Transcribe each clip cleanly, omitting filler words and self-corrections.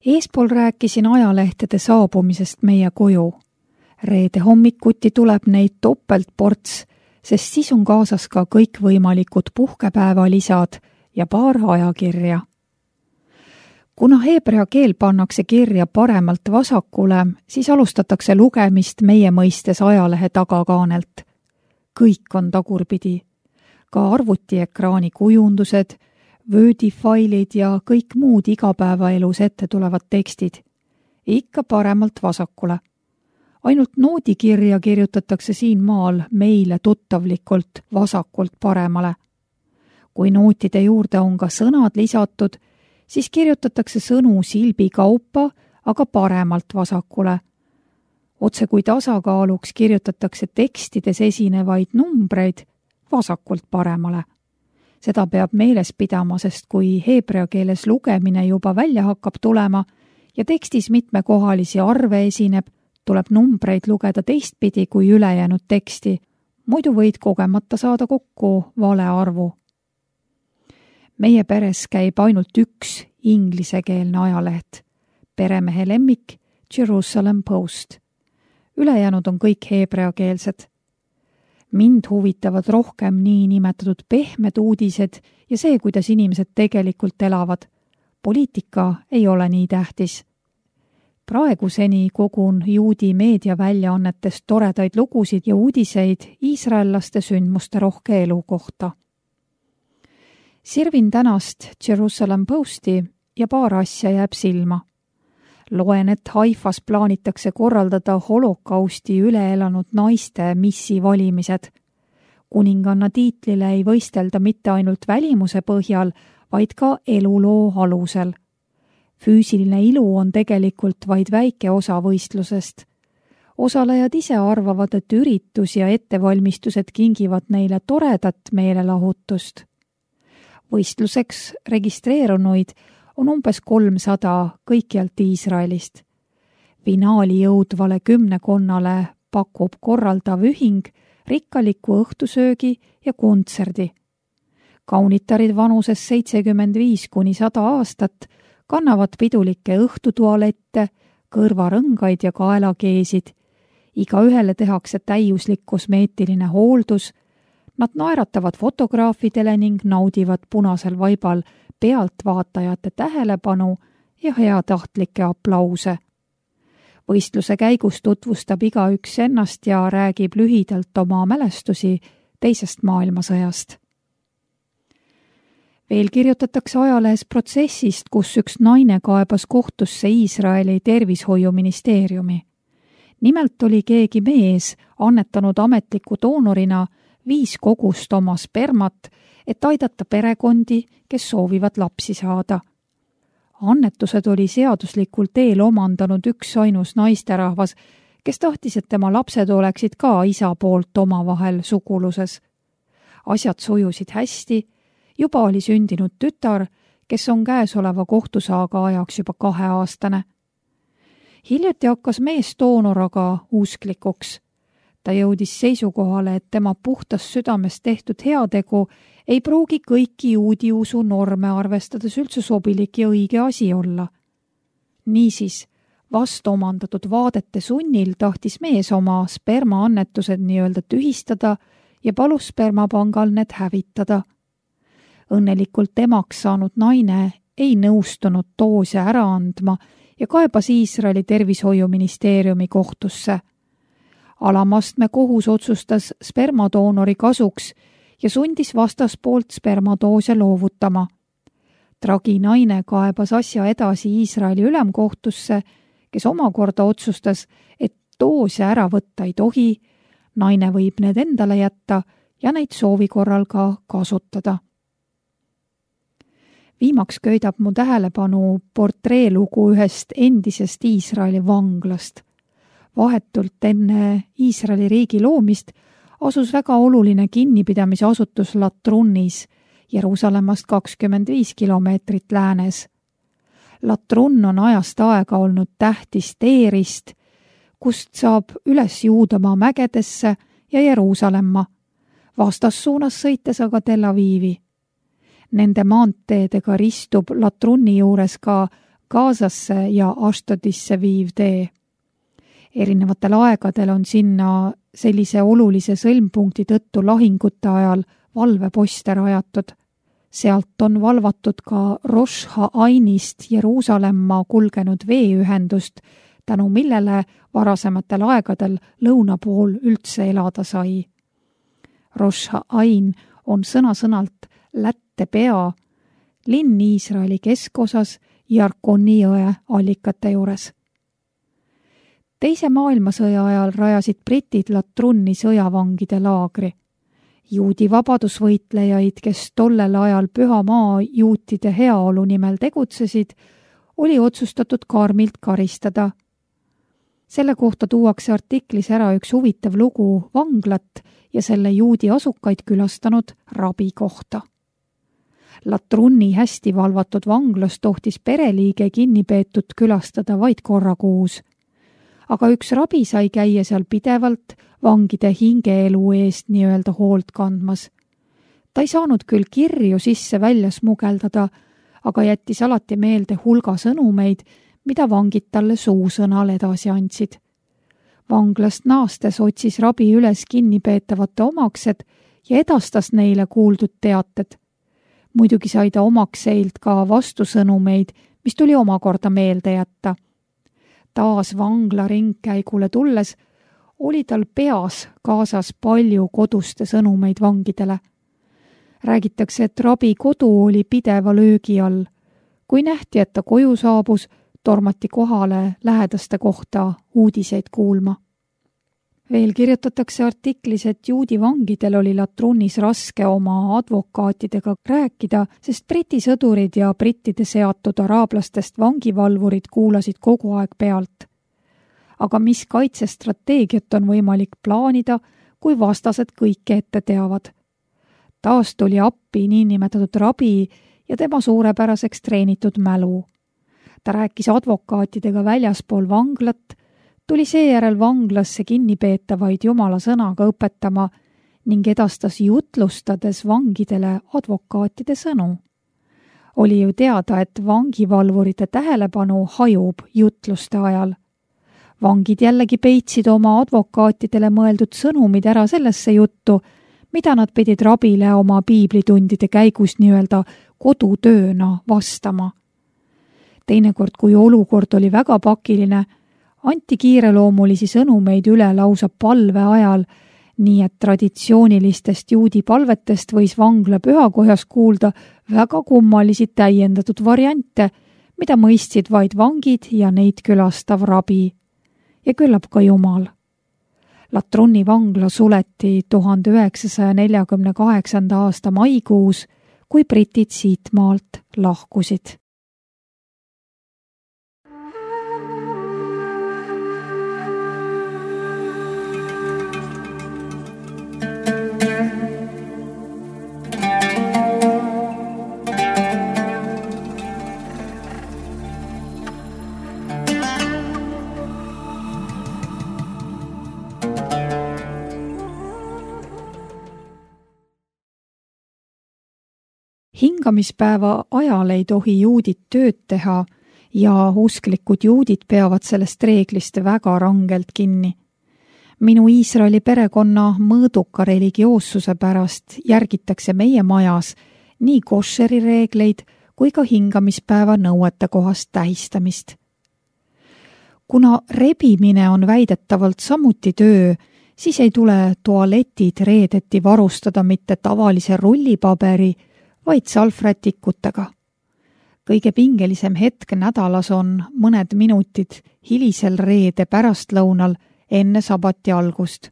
Eespool rääkisin ajalehtede saabumisest meie koju. Reede hommikuti tuleb neid topeltports, sest siis on kaasas ka kõikvõimalikud puhkepäevalisad ja paar ajakirja. Kuna heebrea keel pannakse kirja paremalt vasakule, siis alustatakse lugemist meie mõistes ajalehe tagakaanelt. Kõik on tagurpidi. Ka arvutiekraani kujundused, Wordi-failid ja kõik muud igapäevaelus ette tulevad tekstid. Ikka paremalt vasakule. Ainult noodikirja kirjutatakse siin maal meile tuttavlikult vasakult paremale. Kui nootide juurde on ka sõnad lisatud, siis kirjutatakse sõnu silbi kaupa, aga paremalt vasakule. Otse kui tasakaaluks kirjutatakse tekstides esinevaid numbreid vasakult paremale. Seda peab meeles pidama, sest kui heebrea keeles lugemine juba välja hakkab tulema ja tekstis mitmekohalisi arve esineb, tuleb numbreid lugeda teistpidi kui ülejäänud teksti, muidu võid kogemata saada kokku vale arvu. Meie peres käib ainult üks inglisekeelne ajaleht, peremehe lemmik Jerusalem Post. Ülejäänud on kõik heebreakeelsed. Mind huvitavad rohkem nii nimetatud pehmed uudised ja see, kuidas inimesed tegelikult elavad. Poliitika ei ole nii tähtis. Praeguseni kogun juudi meediaväljaannetest toredaid lugusid ja uudiseid iisraellaste sündmuste rohke elu kohta. Sirvin tänast Jerusalem Posti ja paar asja jääb silma. Loen, et Haifas plaanitakse korraldada holokausti üle elanud naiste missi valimised. Kuninganna tiitlile ei võistelda mitte ainult välimuse põhjal, vaid ka eluloo alusel. Füüsiline ilu on tegelikult vaid väike osa võistlusest. Osalejad ise arvavad, et üritus ja ettevalmistused kingivad neile toredat meelelahutust. Võistluseks registreerunuid on umbes 300 kõikjalt Iisraelist. Finaali jõudvale 10 pakub korraldav ühing rikkaliku õhtusöögi ja kontserdi. Kaunitarid vanuses 75–100 aastat kannavad pidulikke õhtutualette, kõrvarõngaid ja kaelakeesid. Iga ühele tehakse täiuslik kosmeetiline hooldus. Nad naeratavad fotograafidele ning naudivad punasel vaibal pealtvaatajate tähelepanu ja heatahtlikke aplause. Võistluse käigus tutvustab igaüks ennast ja räägib lühidalt oma mälestusi teisest maailmasõjast. Veel kirjutatakse ajalehes protsessist, kus üks naine kaebas kohtusse Iisraeli tervishoiuministeeriumi. Nimelt oli keegi mees annetanud ametliku doonorina 5 kogust oma spermat, et aidata perekondi, kes soovivad lapsi saada. Annetused oli seaduslikult eel omandanud üks ainus naisterahvas, kes tahtis, et tema lapsed oleksid ka isa poolt omavahel suguluses. Asjad sujusid hästi, juba oli sündinud tütar, kes on käesoleva kohtusaaga ajaks juba 2-aastane. Hiljuti hakkas mees doonor aga usklikuks. Ta jõudis seisukohale, et tema puhtas südames tehtud heategu ei pruugi kõiki juudi usu norme arvestades üldse sobilik ja õige asi olla. Niisiis, vast omandatud vaadete sunnil tahtis mees oma spermaannetused nii-öelda tühistada ja palus spermapangal need hävitada. Õnnelikult emaks saanud naine ei nõustunud doose ära andma ja kaebas Iisraeli tervishoiuministeeriumi kohtusse. Alamastme kohus otsustas spermadoonori kasuks ja sundis vastaspoolt spermadoose loovutama. Tragi naine kaebas asja edasi Iisraeli ülemkohtusse, kes omakorda otsustas, et doose ära võtta ei tohi, naine võib need endale jätta ja neid soovi korral ka kasutada. Viimaks köidab mu tähelepanu portreelugu ühest endisest Iisraeli vanglast. Vahetult enne Iisraeli riigi loomist asus väga oluline kinnipidamise asutus Latrunnis, Jeruusalemmast 25 kilomeetrit läänes. Latrun on ajast aega olnud tähtis teerist, kust saab üles Juudamaa mägedesse ja Jeruusalemma, vastassuunas sõites aga Tel Avivi. Nende maanteedega ristub Latrunni juures ka Gazasse ja Ashdodisse viiv tee. Erinevatel aegadel on sinna sellise olulise sõlmpunkti tõttu lahingute ajal valveposte rajatud. Sealt on valvatud ka Rosh Ha'ainist Jeruusalemma kulgenud veeühendust, tänu millele varasematel aegadel lõuna pool üldse elada sai. Rosh Ha'ain on sõna-sõnalt Lätte pea, linn Iisraeli keskosas Jarkoni jõe allikate juures. Teise maailmasõja ajal rajasid britid Latrunni sõjavangide laagri. Juudi vabadusvõitlejaid, kes tollel ajal Püha Maa juutide heaolu nimel tegutsesid, oli otsustatud karmilt karistada. Selle kohta tuuakse artiklis ära üks huvitav lugu vanglat ja selle juudi asukaid külastanud rabi kohta. Latrunni hästi valvatud vanglas tohtis pereliige kinnipeetut külastada vaid korra kuus. Aga üks rabi sai käia seal pidevalt vangide hingeelu eest nii-öelda hoolt kandmas. Ta ei saanud küll kirju sisse-välja smugeldada, aga jättis alati meelde hulga sõnumeid, mida vangid talle suusõnal edasi andsid. Vanglast naastes otsis rabi üles kinnipeetavate omaksed ja edastas neile kuuldud teated. Muidugi sai ta omakseilt ka vastusõnumeid, mis tuli omakorda meelde jätta. Taas vangla ringkäigule tulles oli tal peas kaasas palju koduste sõnumeid vangidele. Räägitakse, et rabi kodu oli pideva löögi all. Kui nähti, et ta koju saabus, tormati kohale lähedaste kohta uudiseid kuulma. Veel kirjutatakse artiklis, et juudi vangidel oli Latrunnis raske oma advokaatidega rääkida, sest briti sõdurid ja brittide seatud araablastest vangivalvurid kuulasid kogu aeg pealt. Aga mis kaitsestrateegiat on võimalik plaanida, kui vastased kõike ette teavad? Taas tuli appi niinimetatud rabi ja tema suurepäraseks treenitud mälu. Ta rääkis advokaatidega väljaspool vanglat, tuli seejärel vanglasse kinnipeetavaid jumala sõnaga õpetama ning edastas jutlustades vangidele advokaatide sõnu. Oli ju teada, et vangivalvurite tähelepanu hajub jutluste ajal. Vangid jällegi peitsid oma advokaatidele mõeldud sõnumid ära sellesse juttu, mida nad pidid rabile oma piiblitundide käigus nii-öelda kodutööna vastama. Teinekord, kui olukord oli väga pakiline, anti kiireloomulisi sõnumeid üle lausa palve ajal, nii et traditsioonilistest juudi palvetest võis vangla pühakojas kuulda väga kummalisi täiendatud variante, mida mõistsid vaid vangid ja neid külastav rabi. Ja küllap ka Jumal. Latrunni vangla suleti 1948. aasta maikuus, kui britid siit maalt lahkusid. Hingamispäeva ajal ei tohi juudid tööd teha ja usklikud juudid peavad sellest reeglist väga rangelt kinni. Minu Iisraeli perekonna mõõduka religioossuse pärast järgitakse meie majas nii košeri reegleid kui ka hingamispäeva nõuete kohast tähistamist. Kuna rebimine on väidetavalt samuti töö, siis ei tule tualetid reedeti varustada mitte tavalise rullipaberi, vaid salvrätikutega. Kõige pingelisem hetk nädalas on mõned minutid hilisel reede pärastlõunal enne sabati algust.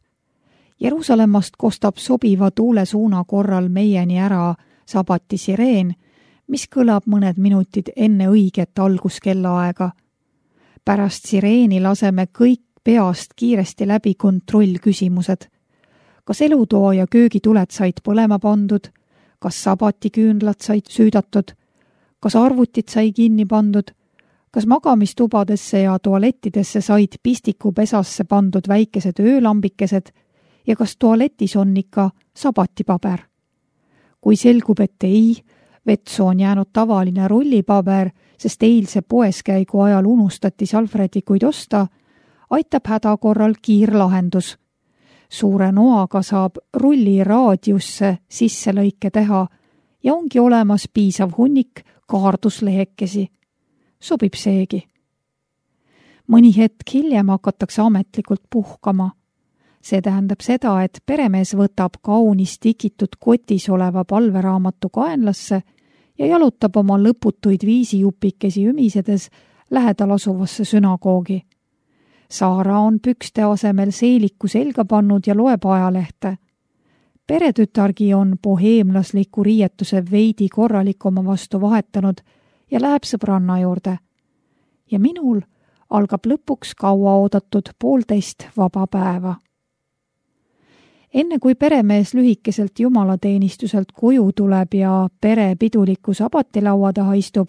Jeruusalemmast kostab sobiva tuulesuuna korral meieni ära sabati sireen, mis kõlab mõned minutid enne õiget alguskellaaega. Pärast sireeni laseme kõik peast kiiresti läbi kontrollküsimused. Kas elutoa ja köögituled said põlema pandud? Kas sabatiküünlad said süüdatud, kas arvutid sai kinni pandud, kas magamistubadesse ja tualettidesse said pistikupesasse pandud väikesed öölambikesed ja kas tualetis on ikka sabatipaber. Kui selgub, et ei, Vetsu on jäänud tavaline rullipaber, sest eilse poeskäigu ajal unustati salvrätikuid osta, aitab häda korral kiirlahendus. Suure noaga saab rulli raadiusse sisselõike teha ja ongi olemas piisav hunnik kaarduslehekesi. Sobib seegi. Mõni hetk hiljem hakatakse ametlikult puhkama. See tähendab seda, et peremees võtab kaunis tikitud kotis oleva palveraamatu kaenlasse ja jalutab oma lõputuid viisijupikesi ümisedes lähedal asuvasse sünagoogi. Saara on pükste asemel seeliku selga pannud ja loeb ajalehte. Peretütargi on boheemlasliku riietuse veidi korralikuma vastu vahetanud ja läheb sõbranna juurde. Ja minul algab lõpuks kauaoodatud 1,5 vaba päeva. Enne kui peremees lühikeselt jumalateenistuselt koju tuleb ja pere piduliku sabatilaua taha istub,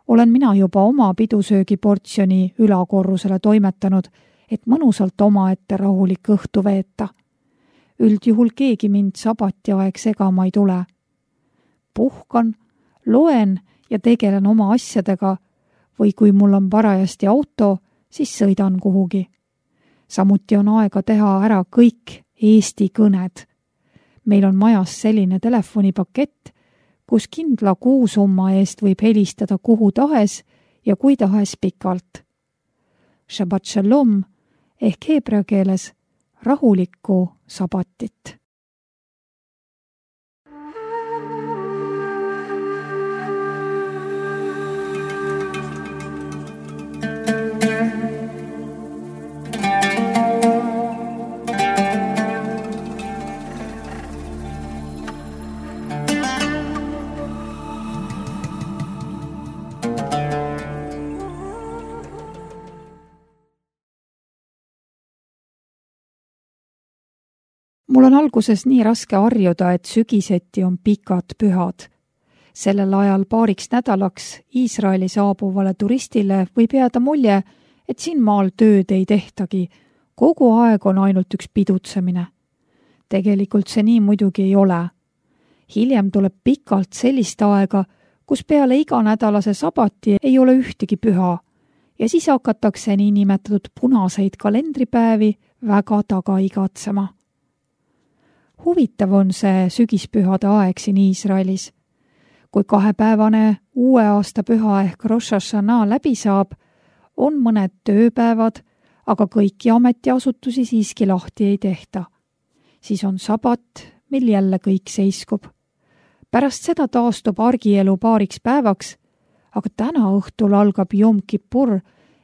olen mina juba oma pidusöögiportsjoni ülakorrusele toimetanud, et mõnusalt omaette rahulik õhtu veeta. Üldjuhul keegi mind sabatiaeg segama ei tule. Puhkan, loen ja tegelen oma asjadega või kui mul on parajasti auto, siis sõidan kuhugi. Samuti on aega teha ära kõik Eesti kõned. Meil on majas selline telefonipakett, kus kindla kuusumma eest võib helistada kuhu tahes ja kui tahes pikalt. Shabbat shalom ehk heebrea keeles rahulikku sabatit. Mul on alguses nii raske harjuda, et sügiseti on pikad pühad. Sellel ajal paariks nädalaks Iisraeli saabuvale turistile võib jääda mulje, et siin maal tööd ei tehtagi. Kogu aeg on ainult üks pidutsemine. Tegelikult see nii muidugi ei ole. Hiljem tuleb pikalt sellist aega, kus peale iganädalase sabati ei ole ühtegi püha ja siis hakatakse nii nimetatud punaseid kalendripäevi väga taga igatsema. Huvitav on see sügispühade aeg siin Iisraelis. Kui 2-päevane uue aasta püha ehk Rosh Hashanah läbi saab, on mõned tööpäevad, aga kõiki ametiasutusi siiski lahti ei tehta. Siis on sabat, mil jälle kõik seiskub. Pärast seda taastub argielu paariks päevaks, aga täna õhtul algab Jom Kippur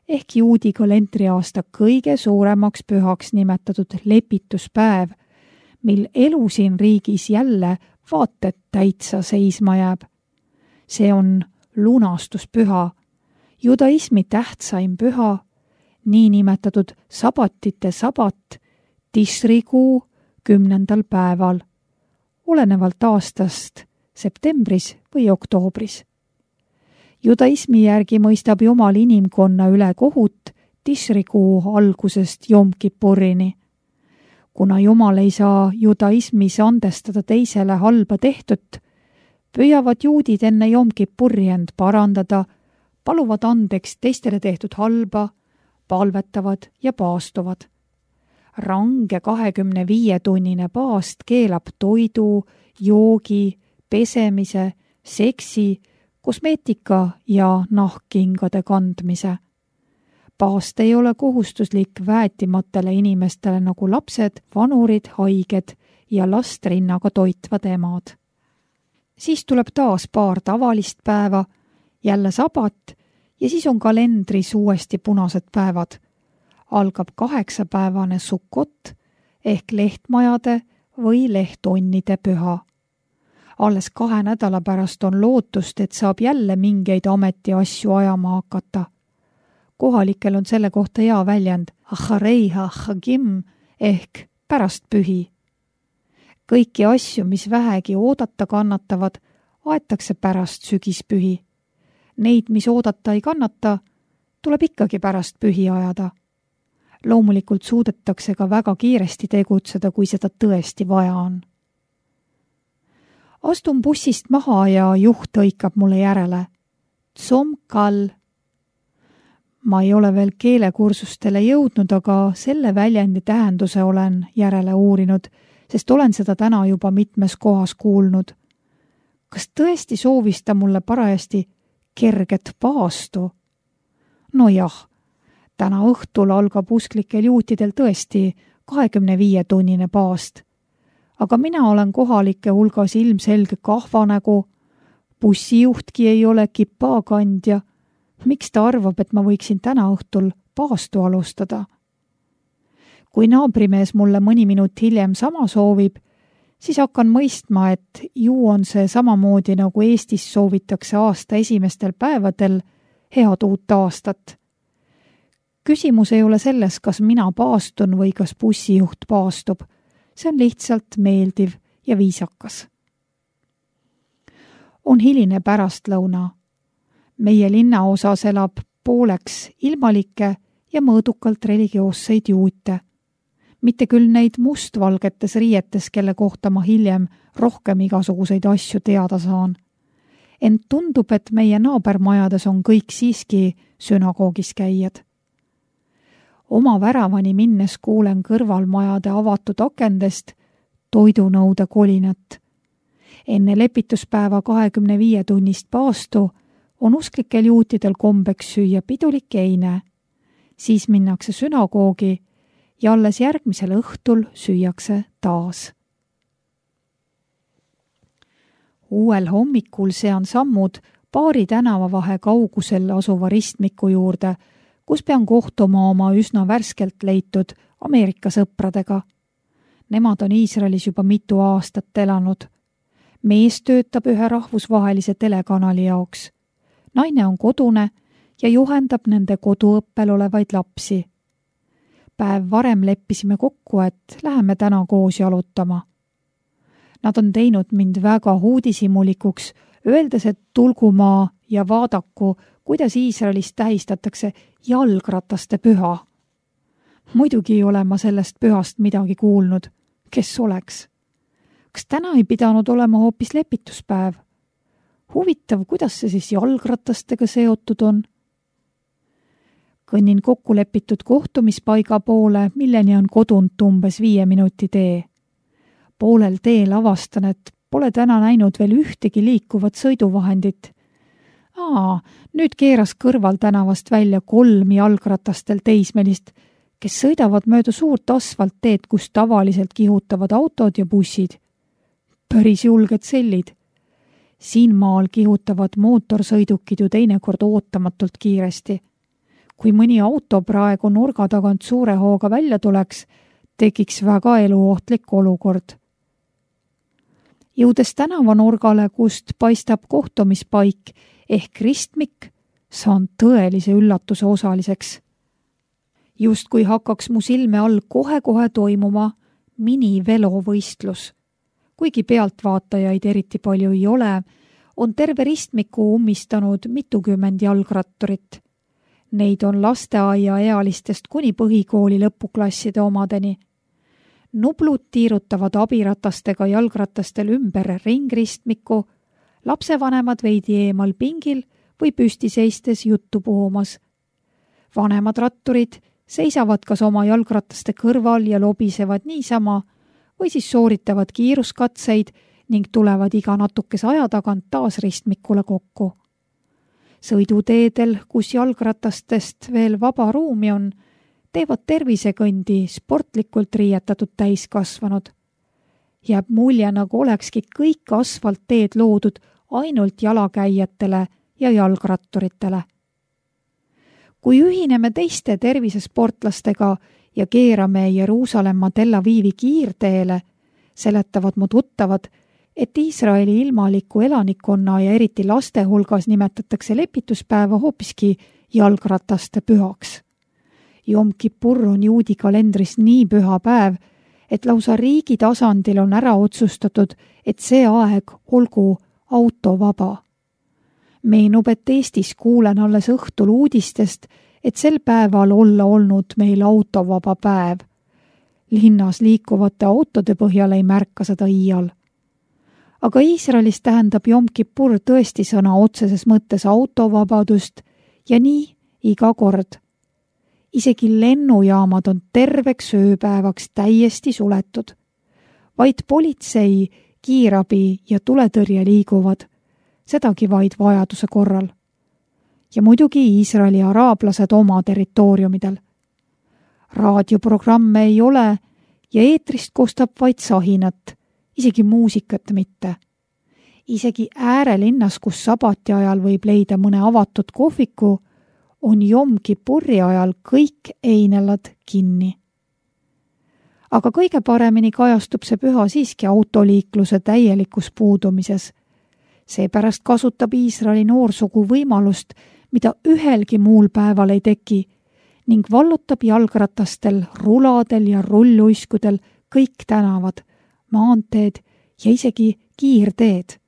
ehk juudi kalendriaasta kõige suuremaks pühaks nimetatud lepituspäev, mil elu siin riigis jälle vaated täitsa seisma jääb. See on lunastuspüha, judaismi tähtsaim püha, nii nimetatud sabatite sabat, Tishrikuu 10. päeval, olenevalt aastast septembris või oktoobris. Judaismi järgi mõistab Jumal inimkonna üle kohut Tishrikuu algusest Jom Kippurini. Kuna Jumal ei saa judaismis andestada teisele halba tehtut, püüavad juudid enne Jom Kippuri end parandada, paluvad andeks teistele tehtud halba, palvetavad ja paastuvad. Range 25-tunnine paast keelab toidu, joogi, pesemise, seksi, kosmeetika ja nahkkingade kandmise. Paast ei ole kohustuslik väetimatele inimestele nagu lapsed, vanurid, haiged ja last rinnaga toitvad emad. Siis tuleb taas paar tavalist päeva, jälle sabat ja siis on kalendris uuesti punased päevad. Algab 8-päevane Sukkot ehk lehtmajade või lehtonnide püha. Alles 2 nädala pärast on lootust, et saab jälle mingeid ametiasju ajama hakata. Kohalikel on selle kohta hea väljend Achareiha Chagim ehk pärast pühi. Kõiki asju, mis vähegi oodata kannatavad, aetakse pärast sügispühi. Neid, mis oodata ei kannata, tuleb ikkagi pärast pühi ajada. Loomulikult suudetakse ka väga kiiresti tegutseda, kui seda tõesti vaja on. Astun bussist maha ja juht hõikab mulle järele. Tsomkal. Ma ei ole veel keelekursustele jõudnud, aga selle väljendi tähenduse olen järele uurinud, sest olen seda täna juba mitmes kohas kuulnud. Kas tõesti soovis ta mulle parajasti kerget paastu? No jah, täna õhtul algab usklikel juutidel tõesti 25-tunnine paast. Aga mina olen kohalike hulgas ilmselge kahvanägu, bussijuhtki ei ole kipakandja. Miks ta arvab, et ma võiksin täna õhtul paastu alustada? Kui naabrimees mulle mõni minut hiljem sama soovib, siis hakkan mõistma, et ju on see samamoodi nagu Eestis soovitakse aasta esimestel päevadel head uut aastat. Küsimus ei ole selles, kas mina paastun või kas bussijuht paastub. See on lihtsalt meeldiv ja viisakas. On hiline pärastlõuna. Meie linnaosas elab pooleks ilmalikke ja mõõdukalt religioosseid juute. Mitte küll neid mustvalgetes riietes, kelle kohta ma hiljem rohkem igasuguseid asju teada saan. Ent tundub, et meie naabermajades on kõik siiski sünagoogis käijad. Oma väravani minnes kuulen kõrvalmajade avatud akendest toidunõude kolinat. Enne lepituspäeva 25-tunnist paastu on usklikel juutidel kombeks süüa pidulik eine. Siis minnakse sünagoogi ja alles järgmisel õhtul süüakse taas. Uuel hommikul sean sammud paari tänavavahe kaugusel asuva ristmiku juurde, kus pean kohtuma oma üsna värskelt leitud Ameerika sõpradega. Nemad on Iisraelis juba mitu aastat elanud. Mees töötab ühe rahvusvahelise telekanali jaoks. Naine on kodune ja juhendab nende koduõppel olevaid lapsi. Päev varem leppisime kokku, et läheme täna koos jalutama. Nad on teinud mind väga uudishimulikuks, öeldes, et tulgu maa ja vaadaku, kuidas Iisraelis tähistatakse jalgrataste püha. Muidugi ei ole ma sellest pühast midagi kuulnud. Kes oleks? Kas täna ei pidanud olema hoopis lepituspäev? Huvitav, kuidas see siis jalgratastega seotud on? Kõnnin kokkulepitud kohtumispaiga poole, milleni on kodunt umbes 5 minuti tee. Poolel teel avastan, et pole täna näinud veel ühtegi liikuvat sõiduvahendit. Nüüd keeras kõrval tänavast välja 3 jalgratastel teismelist, kes sõidavad mööda suurt asfaltteed, kus tavaliselt kihutavad autod ja bussid. Päris julged sellid. Siin maal kihutavad mootorsõidukid ju teinekord ootamatult kiiresti. Kui mõni auto praegu nurga tagant suure hooga välja tuleks, tekiks väga eluohtlik olukord. Jõudes tänavanurgale, kust paistab kohtumispaik ehk ristmik, saan tõelise üllatuse osaliseks. Just kui hakkaks mu silme all kohe-kohe toimuma minivelovõistlus. Kuigi pealtvaatajaid eriti palju ei ole, on terve ristmiku ummistanud mitukümmend jalgratturit. Neid on lasteaia ealistest kuni põhikooli lõpuklasside omadeni. Nublud tiirutavad abiratastega jalgratastel ümber ringristmiku, lapsevanemad veidi eemal pingil või püsti seistes juttu puhumas. Vanemad ratturid seisavad kas oma jalgrataste kõrval ja lobisevad niisama või siis sooritavad kiiruskatseid ning tulevad iga natukese aja tagant taas ristmikule kokku. Sõiduteedel, kus jalgratastest veel vaba ruumi on, teevad tervisekõndi sportlikult riietatud täiskasvanud. Jääb mulje, nagu olekski kõik asfaltteed loodud ainult jalakäijatele ja jalgratturitele. Kui ühineme teiste tervisesportlastega ja keerame Jeruusalemma Tel Avivi kiirteele, seletavad mu tuttavad, et Iisraeli ilmaliku elanikkonna ja eriti laste hulgas nimetatakse lepituspäeva hoopiski jalgrataste pühaks. Jom Kippur on juudi kalendris nii püha päev, et lausa riigi tasandil on ära otsustatud, et see aeg olgu autovaba. Meenub, et Eestis kuulen alles õhtul uudistest, et sel päeval olla olnud meil autovaba päev. Linnas liikuvate autode põhjal ei märka seda iial. Aga Iisraelis tähendab Jom Kippur tõesti sõna otseses mõttes autovabadust ja nii iga kord. Isegi lennujaamad on terveks ööpäevaks täiesti suletud. Vaid politsei, kiirabi ja tuletõrje liiguvad, sedagi vaid vajaduse korral. Ja muidugi Iisraeli araablased oma territooriumidel. Raadioprogramme ei ole ja eetrist kostab vaid sahinat, isegi muusikat mitte. Isegi äärelinnas, kus sabati ajal võib leida mõne avatud kohviku, on Jom Kippuri ajal kõik einelad kinni. Aga kõige paremini kajastub see püha siiski autoliikluse täielikus puudumises. Seepärast kasutab Iisraeli noorsugu võimalust, mida ühelgi muul päeval ei teki, ning vallutab jalgratastel, ruladel ja rulluiskudel kõik tänavad, maanteed ja isegi kiirteed.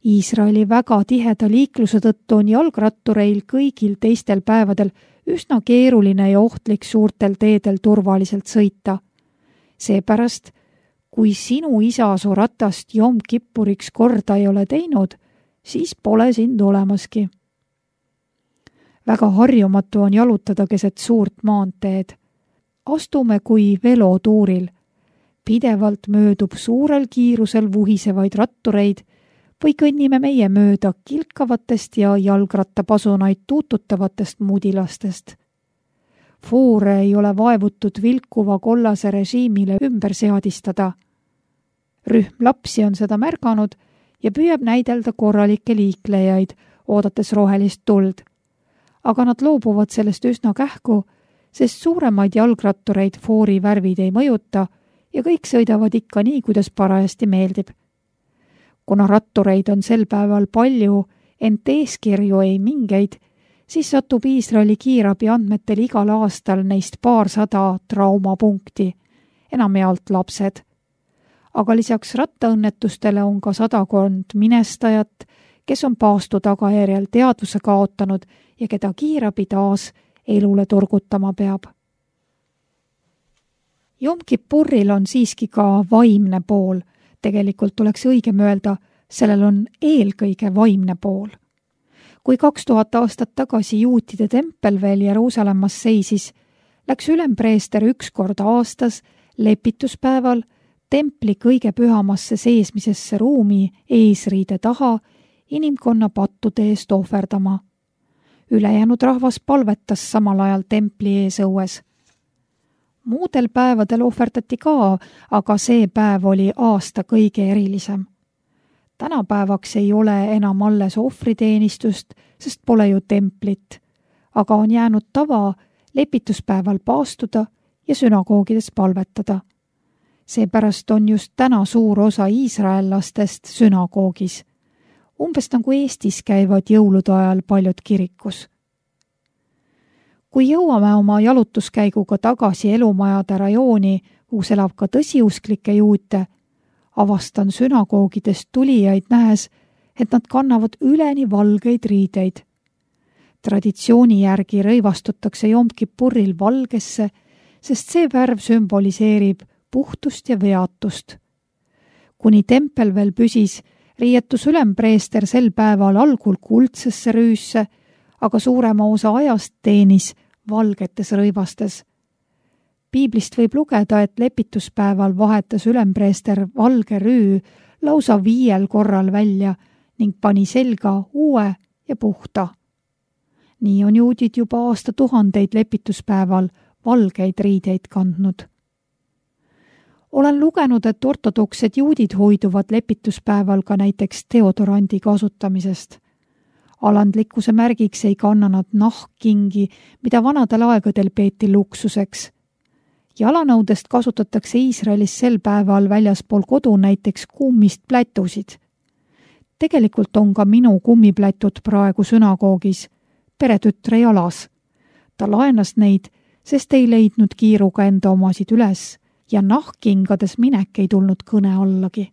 Iisraeli väga tiheda liikluse tõttu on jalgrattureil kõigil teistel päevadel üsna keeruline ja ohtlik suurtel teedel turvaliselt sõita. Seepärast, kui sinu isa su ratast Jom Kippuriks korda ei ole teinud, siis pole sind olemaski. Väga harjumatu on jalutada keset suurt maanteed. Astume kui velotuuril. Pidevalt möödub suurel kiirusel vuhisevaid rattureid või kõnnime meie mööda kilkavatest ja jalgrattapasunaid tuututavatest mudilastest. Foore ei ole vaevutud vilkuva kollase režiimile ümber seadistada. Rühm lapsi on seda märganud ja püüab näidelda korralikke liiklejaid, oodates rohelist tuld. Aga nad loobuvad sellest üsna kähku, sest suuremaid jalgrattureid foori värvid ei mõjuta ja kõik sõidavad ikka nii, kuidas parajasti meeldib. Kuna rattureid on sel päeval palju, ent eeskirju ei mingeid, siis satub Iisraeli kiirabi andmetel igal aastal neist paarsada traumapunkti, enamjaolt lapsed. Aga lisaks rattaõnnetustele on ka 100 minestajat, kes on paastu tagajärjel teadvuse kaotanud ja keda kiirabi taas elule turgutama peab. Jom Kippuril on siiski ka vaimne pool. Tegelikult oleks õigem öelda, sellel on eelkõige vaimne pool. Kui 2000 aastat tagasi juutide tempel veel Jeruusalemmas seisis, läks ülempreester 1 kord aastas lepituspäeval templi kõige pühamasse seesmisesse ruumi eesriide taha inimkonna pattude eest ohverdama. Ülejäänud rahvas palvetas samal ajal templi ees õues. Muudel päevadel ohverdati ka, aga see päev oli aasta kõige erilisem. Tänapäevaks ei ole enam alles ohvriteenistust, sest pole ju templit, aga on jäänud tava lepituspäeval paastuda ja sünagoogides palvetada. Seepärast on just täna suur osa iisraellastest sünagoogis. Umbes nagu Eestis käivad jõulude ajal paljud kirikus. Kui jõuame oma jalutuskäiguga tagasi elumajade rajooni, kus elab ka tõsiusklikke juute, avastan sünagoogidest tulijaid nähes, et nad kannavad üleni valgeid riideid. Traditsiooni järgi rõivastutakse Jom Kippuril valgesse, sest see värv sümboliseerib puhtust ja veatust. Kuni tempel veel püsis, riietus ülempreester sel päeval algul kuldsesse rüüsse, aga suurema osa ajast teenis valgetes rõivastes. Piiblist võib lugeda, et lepituspäeval vahetas ülempreester valge rüü lausa 5 korral välja ning pani selga uue ja puhta. Nii on juudid juba aastatuhandeid lepituspäeval valgeid riideid kandnud. Olen lugenud, et ortodoksed juudid hoiduvad lepituspäeval ka näiteks deodorandi kasutamisest. Alandlikkuse märgiks ei kanna nad nahkkingi, mida vanadel aegadel peeti luksuseks. Jalanõudest kasutatakse Iisraelis sel päeval väljaspool kodu näiteks kummist plätusid. Tegelikult on ka minu kummiplätud praegu sünagoogis, peretütre jalas. Ta laenas neid, sest ei leidnud kiiruga enda omasid üles ja nahkkingades minek ei tulnud kõne allagi.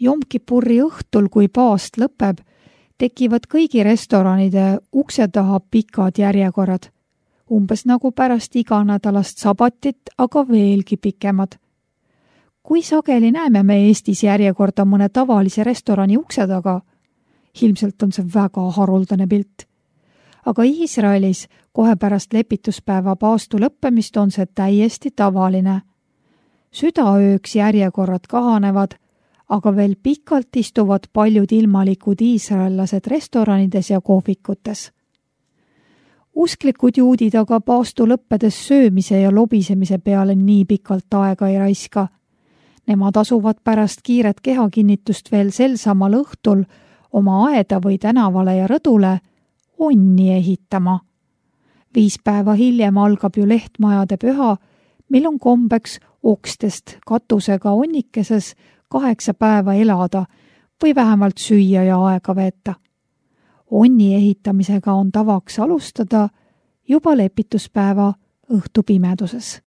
Jom Kippuri õhtul, kui paast lõpeb, tekivad kõigi restoranide ukse taha pikad järjekorrad, umbes nagu pärast iganädalast sabatit, aga veelgi pikemad. Kui sageli näeme me Eestis järjekorda mõne tavalise restorani ukse taga? Ilmselt on see väga haruldane pilt. Aga Iisraelis kohe pärast lepituspäeva paastu lõppemist on see täiesti tavaline. Südaööks järjekorrad kahanevad, aga veel pikalt istuvad paljud ilmalikud iisraellased restoranides ja kohvikutes. Usklikud juudid aga paastu lõppedes söömise ja lobisemise peale nii pikalt aega ei raiska. Nemad asuvad pärast kiiret kehakinnitust veel sel samal õhtul oma aeda või tänavale ja rõdule onni ehitama. 5 päeva hiljem algab ju lehtmajade püha, mil on kombeks okstest katusega onnikeses 8 päeva elada või vähemalt süüa ja aega veeta. Onni ehitamisega on tavaks alustada juba lepituspäeva õhtupimeduses.